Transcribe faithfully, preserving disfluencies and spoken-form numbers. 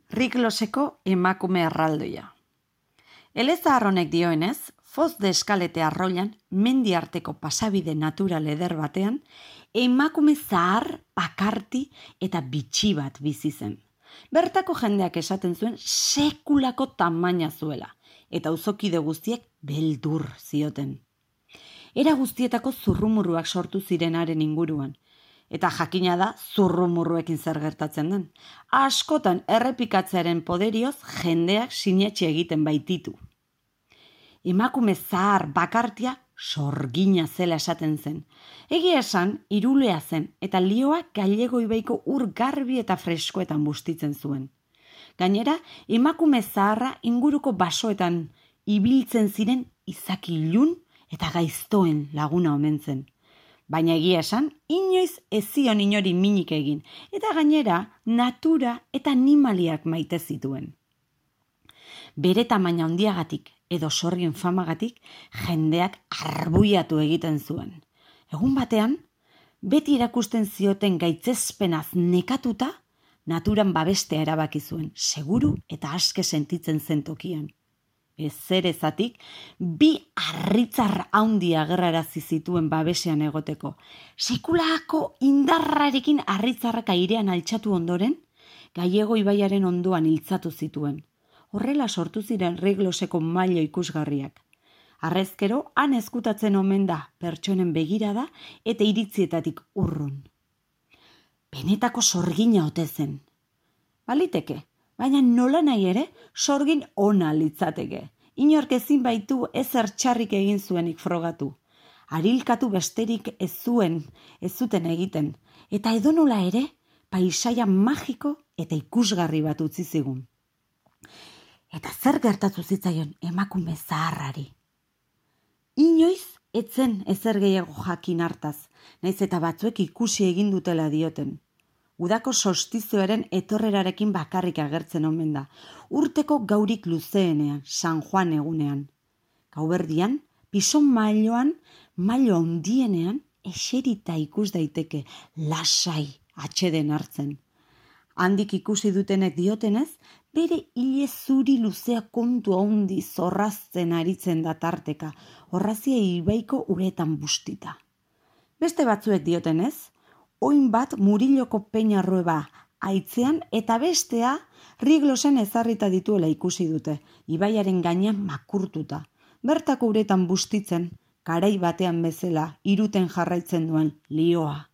Rigloseko emakume erraldoia. Elezahar honek dioenez, Foz de Eskalete arroilan, mendi arteko pasabide natural eder batean, emakume zahar, bakarti eta bitxi bat bizi zen. Bertako jendeak esaten zuen sekulako tamaina zuela, eta auzokide guztiek beldur zioten. Era guztietako zurrumurruak sortu zirenaren inguruan, eta jakina da zurrumurruekin zer gertatzen den. Askotan errepikatzearen poderioz jendeak sinetxe egiten baititu. Emakume zahar bakartia sorgina zela esaten zen. Egia esan, irulea zen eta lioa Gallego ibaiko ur garbi eta freskoetan bustitzen zuen. Gainera, emakume zaharra inguruko basoetan ibiltzen ziren izaki ilun eta gaiztoen laguna omen zen. Baina egia esan, inoiz ez zion inori minik egin, eta gainera natura eta animaliak maite zituen. Bere tamaina handiagatik edo sorgin famagatik jendeak arbuiatu egiten zuen. Egun batean, beti erakusten zioten gaitzespenaz nekatuta, naturan babestea erabaki zuen, seguru eta aske sentitzen zen tokian. Ezerezatik, bi harritzar handi agerrarazi zituen babesean egoteko. Sekulako indarrarekin harritzarrak airean altxatu ondoren, Gallego ibaiaren ondoan iltzatu zituen. Horrela sortu ziren Rigloseko mailo ikusgarriak. Harrezkero, han ezkutatzen omen da pertsonen begirada eta iritzietatik urrun. Benetako sorgina ote zen. Baliteke, baina nola nahi ere, sorgin ona litzateke. Inork ezin baitu ezer txarrik egin zuenik frogatu. Arilkatu besterik ez zuen, ez zuten egiten, eta edonola ere, paisaia magiko eta ikusgarri bat utzi zigun. Eta zer gertatu zitzaion emakume zaharrari? Inoiz etzen ezer gehiago jakin hartaz, naiz eta batzuek ikusi egin dutela dioten. Udako solstizioaren etorrerarekin bakarrik agertzen omen da, urteko gaurik luzeenean, San Juan egunean. Gauberdian, pison mailoan, mailo handienean, eserita ikus daiteke, lasai atxeden hartzen. Handik ikusi dutenek diotenez, bere hile zuri luzea kontu handi zorrazten aritzen da tarteka, horrazia ibaiko uretan bustita. Beste batzuek diotenez, oin bat Muriloko peinarrueba aitzean eta bestea Riglosen ezarrita dituela ikusi dute, ibaiaren gainean makurtuta. Bertako uretan bustitzen, garai batean bezala iruten jarraitzen duen lioa.